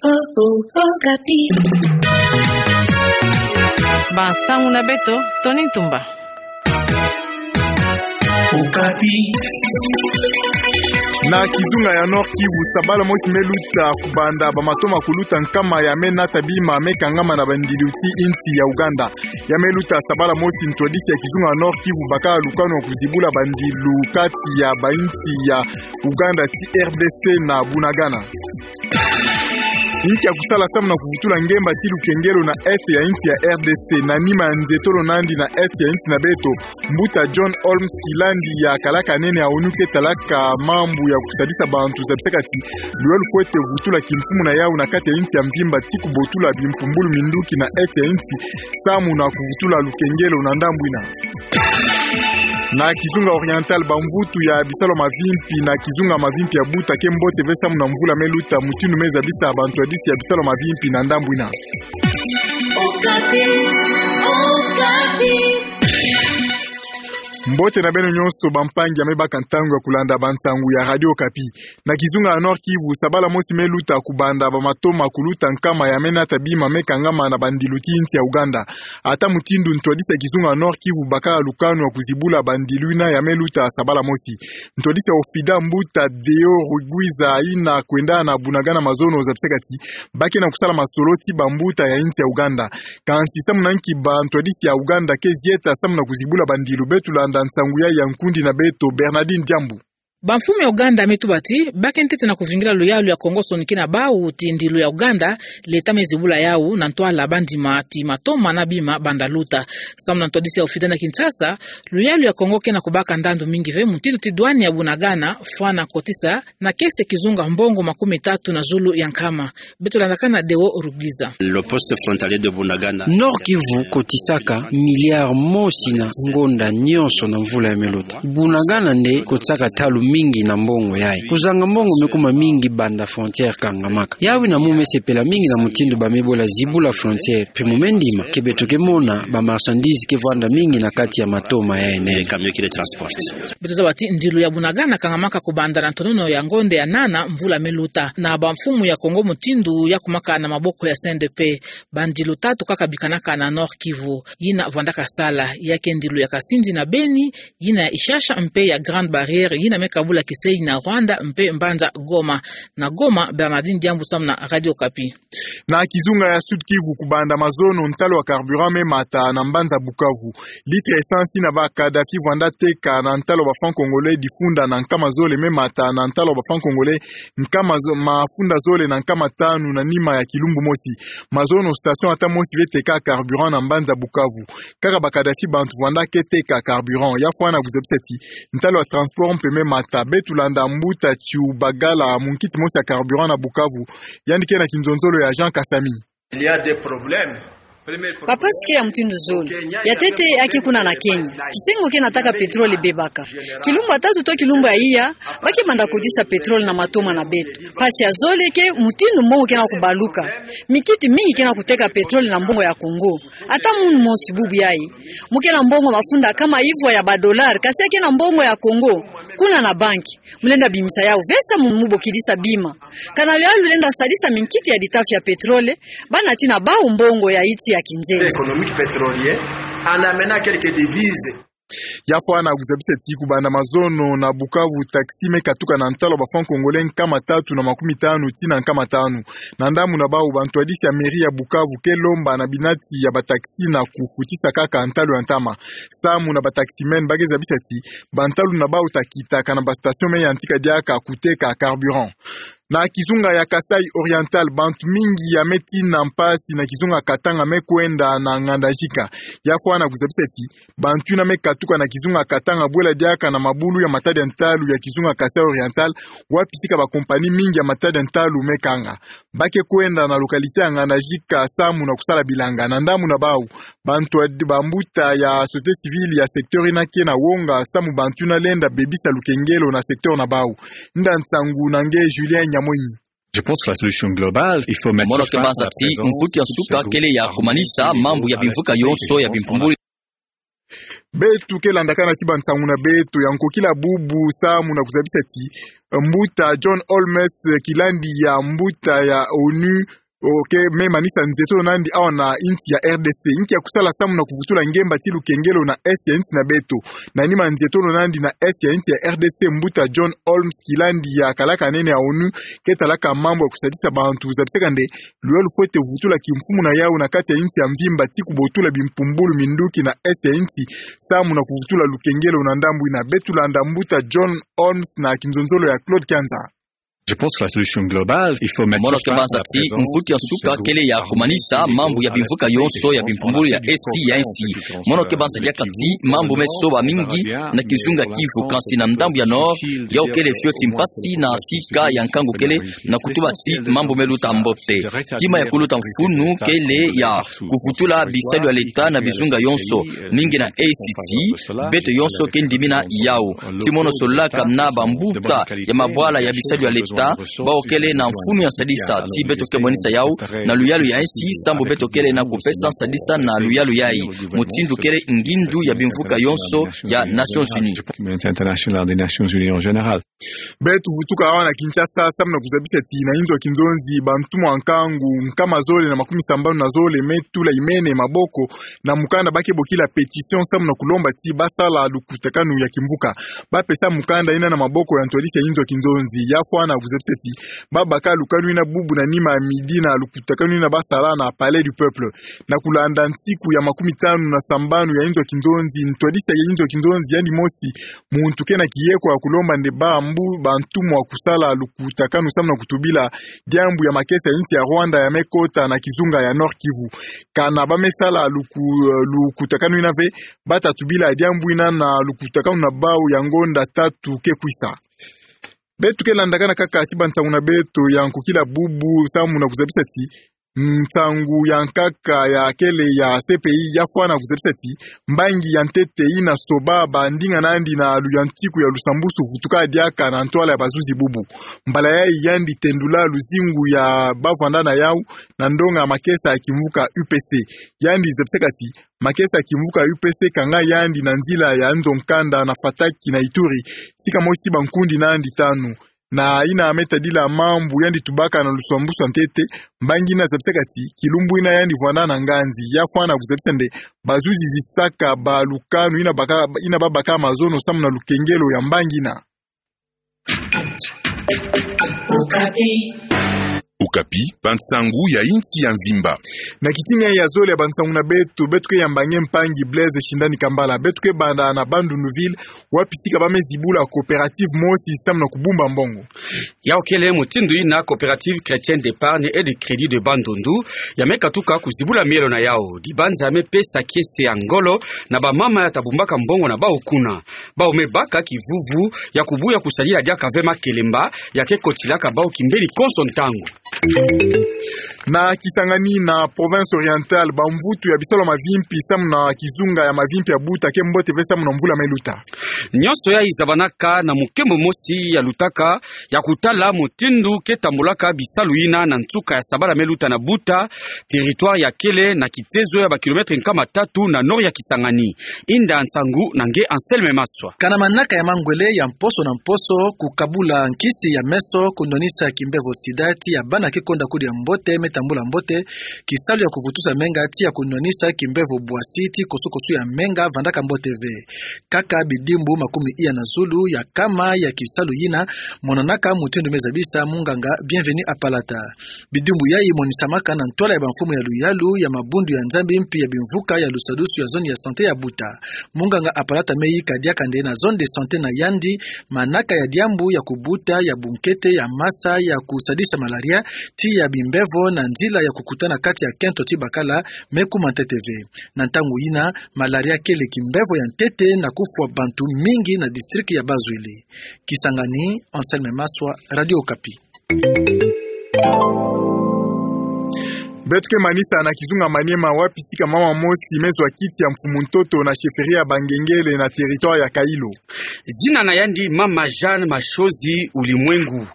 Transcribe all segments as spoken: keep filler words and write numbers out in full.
Okapi. Ba nsangu na beto, Tony Ntumba. Okapi. Na kizunga ya Nord-Kivu, sabala mosi me luta kubanda ba matoma kuluta nkama ya me nata bima me kangama na bandilu ti insi ya Ouganda. Ya me luta sabala mosi, ntwadisi ya kizunga ya Nord-Kivu baka lukanu ya kuzibula bandilu kati ya bainsi ya Ouganda ti R D C na Bunagana. Inki ya kusala samu na kuvutula ngemba ti lukengelo na Est ya insi ya R D C? Na nima ya nze tolo nandi na Est ya insi na beto, mbuta John Holmes Kilandi ya kalaka nene ya ONU ke talaka mambu ya kusadisa bantu zabisaka ti luyalu fwete vutula kimfumu na yau na kati ya insi ya mvimba ti kubotula bimpumbulu minduki na Est ya insi samu na kuvutula lukengelo na ndambu ina. Na kizunga Oriental, bamvutu ya bisalu mavimpi na kizunga mavimpi ya buta ke mbote ve samu na mvula me luta, mutindu me zabisa bantwadisi ya bisalu mavimpi na ndambu ina. Okapi, Okapi. Mbote na beno nyonso bampangi ya me baka ntangu ya kulanda bansangu ya Radio Okapi. Na kizunga ya Nord-Kivu, sabala mosi me luta kubanda ba matoma kuluta nkama ya me nata bima me kangama na bandilu ti insi ya Ouganda. Ata mutindu, ntwadisi ya kizunga ya Nord-Kivu baka lukanu ya kuzibula bandilu ina ya me luta sabala mosi. Ntwadisi ya OFIDA, mbuta Deo Rugwiza, ina kwenda na Bunagana mazono zabisaka ti ba ke na kusala masolo ti bambuta ya insi ya Ouganda. Kansi samu na nki bantwadisi ya Ouganda ke zieta samu na kuzibula bandilu? Beto landa nsangu ya ya nkundi na beto Bernardine Diambu. Bamfumu ya Ouganda me tuba ti ba ke ntete na kuvingila luyalu ya Kongo sonikina bau ti ndilu ya Ouganda, leta me zibula yau na ntwala bandima ti matoma na bima banda luta. Samu na ntwadisi ya OFIDA na Kinshasa, luyalu ya Kongo ke na kubaka ndandu mingi ve, mutindu ti douane ya Bunagana fwana kotisa na kese kizunga mbongo makumi tatu na zulu ya nkama. Beto landa kana Deo Rugwiza. Le poste frontalier de Bunagana. Nord-Kivu kotisaka milliard mosi na ngonda nyonso na mvula ya me luta. Bunagana nde kotisaka ntalu mingi na mbongo yayi. Kuzanga mbongo me kuma mingi banda frontière kangamaka. Yawu ina mu me sepela mingi na mutindu ba me bola zibula frontière. Mpe mu me ndima ke beto ke mona ba marchandises ke vwanda mingi na kati ya matoma yayi nene. Beto zaba ti ndilu ya Bunagana kangamaka kubanda na ntonono ya ngonda ya nana mvula me luta. Na bamfumu ya Kongo mutindu ya kumaka na maboko ya C N D P. Bandilu tatu kaka bikanaka na Nord-Kivu. Yina vwandaka sala, ya ke ndilu ya Kasindi na Beni, yina ya Ishasha mpe ya Grande Barrière, yina me kabula Kisenyi na Rwanda mpe mbanza Goma. Na Goma, Bernardine Diambu samu na Radio Okapi. Na kizunga ya Sud-Kivu, kubanda mazono, ntalu ya carburant me mata na mbanza Bukavu. Litre essence ina ba Kadhafi vwanda teka na ntalu ya ba francs congolais difunda na nkama zole me mata na ntalu ya ba francs congolais nkama zo-, mafunda zole na nkama tanu na nima ya kilumbu mosi. Mazono station ata mosi ve teka carburant na mbanza Bukavu. Kaka ba Kadhafi bantu vwanda ke teka carburant. Ya fwana kuzabisa ti ntalu ya transport mpe me mata. Beto landa mbuta Chiubagala, munkiti mosi ya carburant na Bukavu. Yandi ke na kinzonzolo ya Jean Kasami. Il y a des problèmes. Bampasi ke ya mutindu zole. Ya ntete, ya ke kuna na Kenya. Kisengo ke nataka pétrole bebaka. Kilumbu ya tatu to kilumbu ya iya, ba ke banda kotisa pétrole na matoma na beto. Mpasi ya zole ke mutindu mbongo ke na kubaluka. Mikiti mingi ke na kuteka pétrole na mbongo ya Congo. Ata munu mosi bubu yayi, mu ke na mbongo mafunda nkama ivwa ya ba dollars, kasi ya ke na mbongo ya Congo kuna na banki. Mu lenda bimisa yau ve samu mu bokidisa bima. Kana luyalu lenda sadisa minkiti ya ditafi ya pétrole, ba nati na bau mbongo ya iti ya kinzenza. Économique pétrolier, en amenant quelques devises. Ya fwana kuzabisa ti kubanda mazono na Bukavu, taxi me katuka na ntalu ya ba francs congolais nkama tatu na makumi tanu tii na nkama tanu. Na ndambu na bau, bantwadisi ya mairie ya Bukavu ke lomba na binati ya ba taxi na kufutisa kaka ntalu ya ntama. Samu na ba taximen, ba ke zabisa ti bantalu na bau ta kita kana ba station me yantika diaka kuteka carburant. Na kizunga ya Kasaï Oriental, bantu mingi ya me tina mpasi na kizunga Katanga me kwenda na nganda jika. Ya fwana kuzabisa ti bantu ina me katuka na kizunga Katanga bwela diaka na mabulu ya matadi ya ntalu ya kizunga Kasaï Oriental, wapi sika ba compagnie mingi ya matadi ya ntalu me kanga. Ba ke kwenda na localité ya nganda jika samu na kusala bilanga. Na ndambu na bau, bantwadi, bambuta ya société civile ya secteur ina ke na wonga samu bantu ina lenda bebisa lukengelo na secteur na bau. Nda nsangu na nge Julien Nyamonyi. Je pense que la solution globale, il faut mettre fin à la présence de ces groupes. Mono ke banza ti mvuki ya nsuka kele ya kumanisa mambu ya bimvuka yonso ya bimpumbuli. Beto ke landakana ti bansangu na beto ya nkokila bubu samu na kuzabisa ti, eh, mbuta John Holmes, eh, kilandi ya mbuta ya onu, oke, me manisa nzietolo na yandi awa na insi ya R D C. Inki ya kusala samu na kuvutula ngemba ti lukengelo na est ya insi na beto. Na nima nzietolo na yandi na est ya insi ya R D C, mbuta John Holmes kilandi ya kalaka nene ya onu, ke talaka mambu ya kusadisa bantu, zabisaka nde luyalu fwete vutula kimfumu na yau na kati ya insi ya mvimba ti kubotula bimpumbulu minduki na est ya insi, samu na kuvutula lukengelo na ndambu ina. Beto landa mbuta John Holmes na kinzonzolo ya Claude Kianza. Je pense que la solution globale, il faut mettre fin à la présence. Mono ke banza ti mvutu ya nsuka kele ya kumanisa mambu ya bimvuka yonso ya bimpumbulu ya est ya insi. Mono ke banza diaka ti mambu me soba mingi na kizunga Kivu, kansi na ndambu ya nord, yau kele fioti mpasi na sika ya nkangu kele na kutuba ti mambu me luta mbote. Kima ya kuluta mfunu kele ya kuvutula bisalu ya leta na bizunga yonso, mingi na est ti beto yonso ke ndimina yau. Ti mono solaka na bambuta ya mabwala ya bisalu ya leta, bawu kele na mfunu ya sadisa ti beto ke monisa yau na luyalu ya insi, sambu beto kele na kupesa sadisa na luyalu yai, mutindu kele ngindu ya bimvuka yonso ya Nations Unies. International des Nations Unies en général. Beto vutuka awa na Kinshasa, samu na kuzabisa ti na inzo ya kinzonzi, bantumwa nkangu nkama zole na makumi sambanu na zole me tula imene maboko na mukanda ba ke bokila pétition, samu na kulomba ti basala lukutakanu ya kimvuka. Ba pesa mukanda ina na maboko ya ntwadisi ya inzo ya kinzonzi. Ya fwana kuzabisa ti ba baka lukanu ina bubu na nima ya midi na lukutakanu ina ba sala na Palais du Peuple. Na kulanda nsiku ya makumi tanu na sambanu ya inzo ya kinzonzi, ntwadisi ya inzo ya kinzonzi yandi mosi muntu ke na kieko ya kulomba nde bambu bantumwa kusala lukutakanu samu na kutubila diambu ya makesa ya insi ya Rwanda ya me kota na kizunga ya Nord-Kivu. Kana ba me sala luku-, lukutakanu ina ve, ba ta tubila diambu ina na lukutakanu na bawu ya ngonda tatu ke kwisa. Beto ke landakana kaka ti bansangu na beto ya nkokila bubu samu na kuzabisa ti nsangu ya nkaka ya kele ya C P I ya fwana kuzabisa ti mbangi ya ntete ina soba bandinga na yandi na luyantiku ya lusambusu vutuka diaka na ntwala ya bazuzi bubu. Mbala yai yandi tendula luzingu ya bavwanda na yau na ndonga makesa ya kimvuka U P C. Yandi zabisaka ti makesa ya kimvuka U P C kanga yandi na nzila ya nzo nkanda na Fataki na Ituri, sika mosi ti bankundi na yandi tanu. Na ina me tadila mambu yandi tubaka na lusambusu ya ntete, mbangi ina zabisaka ti kilumbu ina yandi vwanda na nganzi. Ya fwana kuzabisa nde bazuzi zisaka balukanu ina baka, ina ba baka mazono samu na lukengelo ya mbangi ina. Okapi, bansangu ya insi ya mvimba. Na kitini ya zole ya bansangu na beto, beto ke yamba nge mpangi Blaise Shindani Kambala. Beto ke banda na Bandundu-Ville, wapi sika ba me zibula coopérative mosi samu na kubumba mbongo. Yau kele mutindu ina Coopérative Chrétienne d'Épargne et de Crédit de Bandundu ya me katuka kuzibula mielo na yau. Dibanza ya me pesa kiese ya ngolo na bamama ya ta bumbaka mbongo na bawu kuna. Bawu me baka kivuvu ya kubuya kusadila diaka ve makelemba ya ke kotilaka bawu kimbeni konso ntangu. Na Kisangani, na province orientale, bamvutu ya bisalu ya mavimpi samu na kizunga ya mavimpi ya Buta ke mbote ve samu na mvula me luta. Nyonso yai zabanaka na mukembo mosi ya lutaka ya kutala mutindu ke tambulaka bisalu ina na nsuka ya sabala me luta na Buta, territoire ya kele na kitezo ya ba kilomètre nkama tatu na nord ya Kisangani. Inda nsangu na nge Anselme Maswa. Kana manaka ya mangwele ya mposo na mposo, kukabula nkisi ya meso, kunwanisa kimbevo sida, ti ya bana ke konda kudia mbote me tambula mbote, kisalu ya kuvutusa menga, ti ya kunwanisa kimbevo bwasi, ti kosukosu ya menga vandaka mbote ve. Kaka bidimbu makumi iya na zulu ya kama ya kisalu yina monanaka mutindu me zabisa munganga Bienvenu Apalata. Bidimbu yai monisamaka na ntwala ya bamfumu ya luyalu ya mabundu ya Nzambi mpi ya bimvuka ya lusadusu ya zone ya santé ya Buta. Munganga Apalata me yika diaka nde na zone de santé na yandi manaka ya diambu ya kubuta ya bunkete ya masa ya kusadisa malaria, ti ya bimbevo na nzila ya kukutana kati ya kento ti bakala me kuma ntete ve. Na ntangu yina, malaria kele kimbevo ya ntete na kufwa bantu mingi na district ya Bas-Uele. Kisangani, Anselme Maswa, Radio Okapi. Beto ke manisa na kizunga Maniema, wapi sika mama mosi me zwa kiti ya mfumu ntoto na chefferie ya Bangengele na territoire ya Kailo. Zina na yandi Mama Jeanne Machozi Ulimwengu.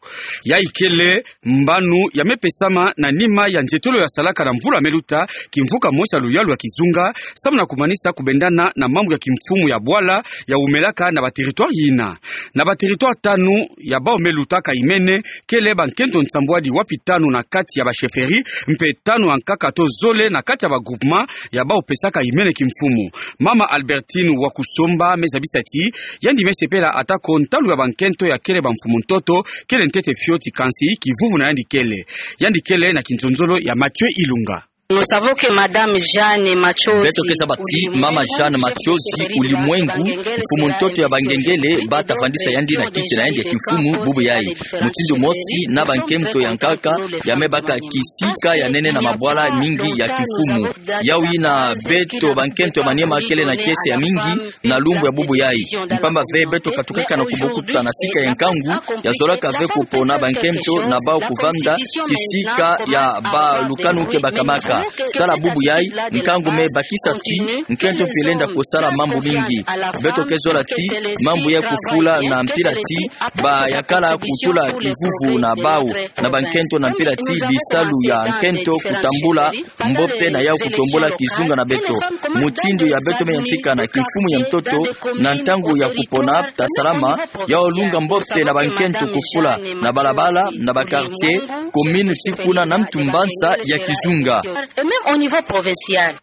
Yayi kele mbano ya me pesama na nima ya nzietolo ya salaka na mvula me luta kimvuka mosi ya luyalu ya kizunga, samu na kumanisa kubendana na mambu ya kimfumu ya bwala ya wumelaka na ba territoire yina. Na ba territoire tanu ya bawu me lutaka imene, kele bankento nsambwadi, wapi tanu na kati ya ba chefferie, mpe tanu ya nkaka to zole na kati ya ba groupement ya bawu pesaka imene kimfumu. Mama Albertine Wakusomba me zabisa ti yandi me sepela atako ntalu ya bankento ya kele bamfumu ntoto kele ntete fioti, kansi kivuvu na yandi kele. Yandi kele na kinzonzolo ya Mathieu Ilunga. Nous savons que Madame Jeanne Matchozi. Beto ke zaba ti Mama Jeanne Matchozi Ulimwengu, mfumu ntoto ya Bangengele, bata vandisa yandi na kiti na yandi ya kimfumu bubu yayi. Mutindu mosi na bankento ya nkaka ya me baka kisika ya nene na mabwala mingi ya kimfumu. Yawu yina beto bankento ya Maniema kele na kiese ya mingi na lumbu ya bubu yayi. Mpamba ve beto katukaka na kubukuta na sika ya nkangu ya zolaka ve kupona bankento na bawu kuvanda kisika ya balukanu ke bakamaka. Tala bubu yayi, nkangu me bakisa ti nkento mpe lenda kusala mambu mingi. Beto ke zola ti mambu ya kufula na mpila ti ba yakala kutula kivuvu na bawu na bankento, na mpila ti bisalu ya nkento kutambula mbope na yawu kutombula kizunga na beto. Mutindu ya beto me yantika na kimfumu ya ntoto na ntangu ya kupona tasalama, yawu lunga mbope na bankento kufula na balabala, na ba quartier, commune, ti kuna na ntu mbanza ya kizunga. Et même au niveau provincial.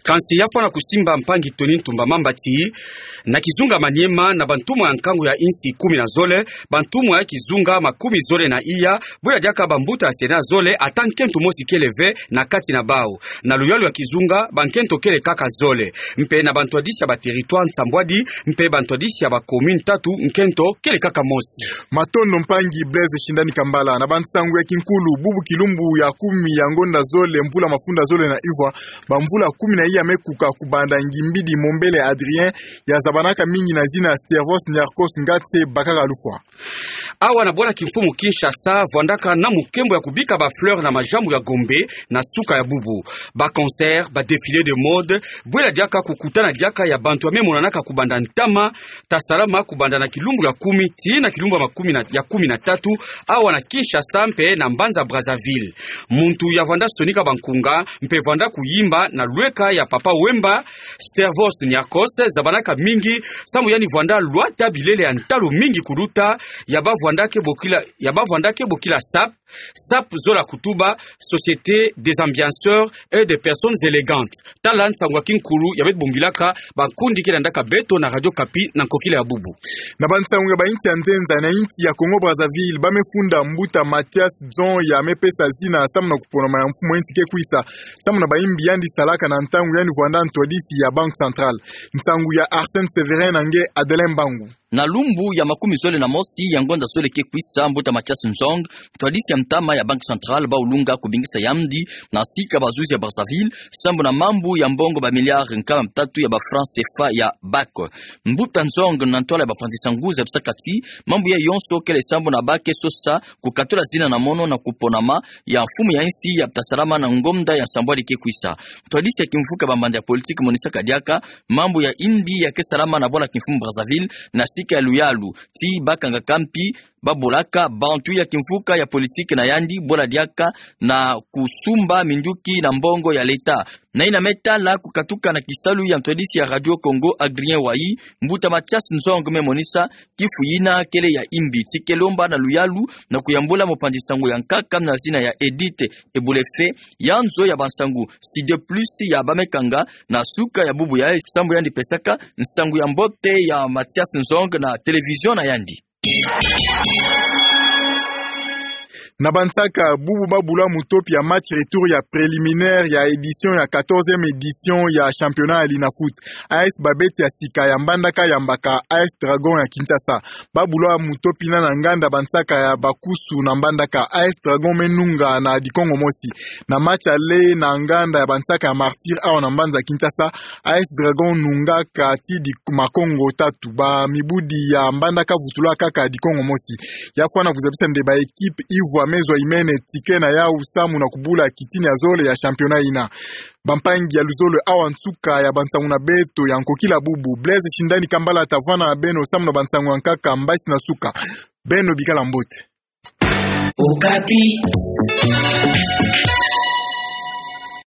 Kansi ya fwana kusimba mpangi Tony Ntumba Mamba ti na kizunga Maniema, na bantumwa ya nkangu ya insi kumi na zole, bantumwa ya kizunga makumi zole na iya, bwela diaka bambuta ya sena zole, ata nkento mosi kele ve na kati na bawu. Na luyalu ya kizunga, bankento kele kaka zole. Mpe na bantwadisi ya ba territoire nsambwadi, mpe bantwadisi ya ba commune tatu, nkento kele kaka mosi. Matondo mpangi Blaise Shindani Kambala. Na bansangu ya kinkulu, bubu kilumbu ya kumi ya ngonda zole, mvula mafunda zole na ivwa, bamvula kumi na iya me kuka kubanda ngimbidi Mombele Adrien, ya zabanaka mingi na zina Stervos Niarcos Ngatse, bakaka lufwa. Awa na bwala kimfumu Kinshasa, vwandaka na mukembo ya kubika ba fleurs na majambu ya Gombe na suka ya bubu. Ba concerts, ba défilés de mode, bwela diaka kukutana diaka ya bantu ya me monanaka kubanda ntama tasalama kubanda na kilumbu ya kumi tii na kilumbu ya makumi na, ya kumi na tatu, awa na Kinshasa mpe na mbanza Brazzaville. Muntu ya vwanda sonika bankunga mpe vwanda kuyimba na lweka ya Papa Wemba, Stervos Niarcos, zabanaka mingi samu yandi vwanda lwata bilele ya ntalu mingi kuluta ya ba vwanda ke bokila, ya ba vwanda ke bokila SAP, SAP zola kutuba, Société des ambianceurs et des personnes élégantes. Tala nsangu ya kinkulu ya beto bongilaka bankundi ke landaka beto na Radio Okapi na nkokila ya bubu. Na bansangu ya ba insi ya nzenza, na insi ya Congo Brazzaville, ba me funda mbuta Mathias Nzong ya me pesa zina samu na kuponama ya mfumu ya insi ke kwisa, samu na bayimbi yandi salaka na ntangu yandi vwanda ntwadisi ya Banque Centrale. Nsangu ya Arsène Séverin na nge Adelin Mbangu. Na lumbu ya makumi zole na mosi ya ngonda zole ke kwisa, mbuta Mathias Nzong, ntwadisi ya ntama ya Banque Centrale, bawu lunga kubingisa yandi na sika bazuzi ya Brazzaville sambu na mambu ya mbongo ba milliards nkama tatu ya ba francs C F A ya BAC. Mbuta Nzong, na ntwala ya bapanzi nsangu, zabisaka ti mambu yayi yonso kele sambu na ba ke sosa kukatula zina na mono na kuponama ya mfumu ya insi ya tasalama na ngonda ya nsambwadi ke kwisa. Ntwadisi ya kimvuka bambanda ya politique monisaka diaka mambu ya yimbi ya ke salama na bwala kimfumu Brazzaville na sika ya luyalu, ti ba kangaka mpi ba bolaka bantu ya kimvuka ya politique na yandi bwela diaka na kusumba minduki na mbongo ya leta. Na yina me tala kukatuka na kisalu ya ntwadisi ya Radio Congo, Adrien Wayi, mbuta Mathias Nzong me monisa kifu yina kele ya yimbi, ti ke lomba na luyalu na kuyambula mopanzi nsangu ya nkaka na zina ya Edith Ebulefe, ya nzo ya bansangu Sud Plus ya ba me kanga na suka ya bubu yayi, sambu yandi pesaka nsangu ya mbote ya Mathias Nzong na télévision na yandi. Na Bansaka, bubu ba bulwa mutopi ya match retour ya préliminaire ya édition ya quatorzième édition ya championnat ya Linafoot. A S Babeti ya Sika ya Mbandaka yambaka A S Dragon ya Kinshasa. Ba bulwa mutopi na na nganda Bansaka ya Bakusu na Mbandaka. A S Dragon me nunga na dikongo mosi. Na match aller na nganda ya Bansaka ya Martyrs awa na mbanza Kinshasa, A S Dragon nungaka ti di makongo tatu. Ba mibudi ya Mbandaka vutulwa kaka dikongo mosi. Ya fwana kuzabisa nde ba équipe ivwa me zwa imene ticket na yawu samu na kubula kitini ya zole ya championnat yina. Bampangi ya luzolo awa nsuka ya bansangu na beto ya nkokila bubu. Blaise Shindani Kambala tavana na beno samu na bansangu ya nkaka mbasi na suka. Beno bikala mbote. Okapi.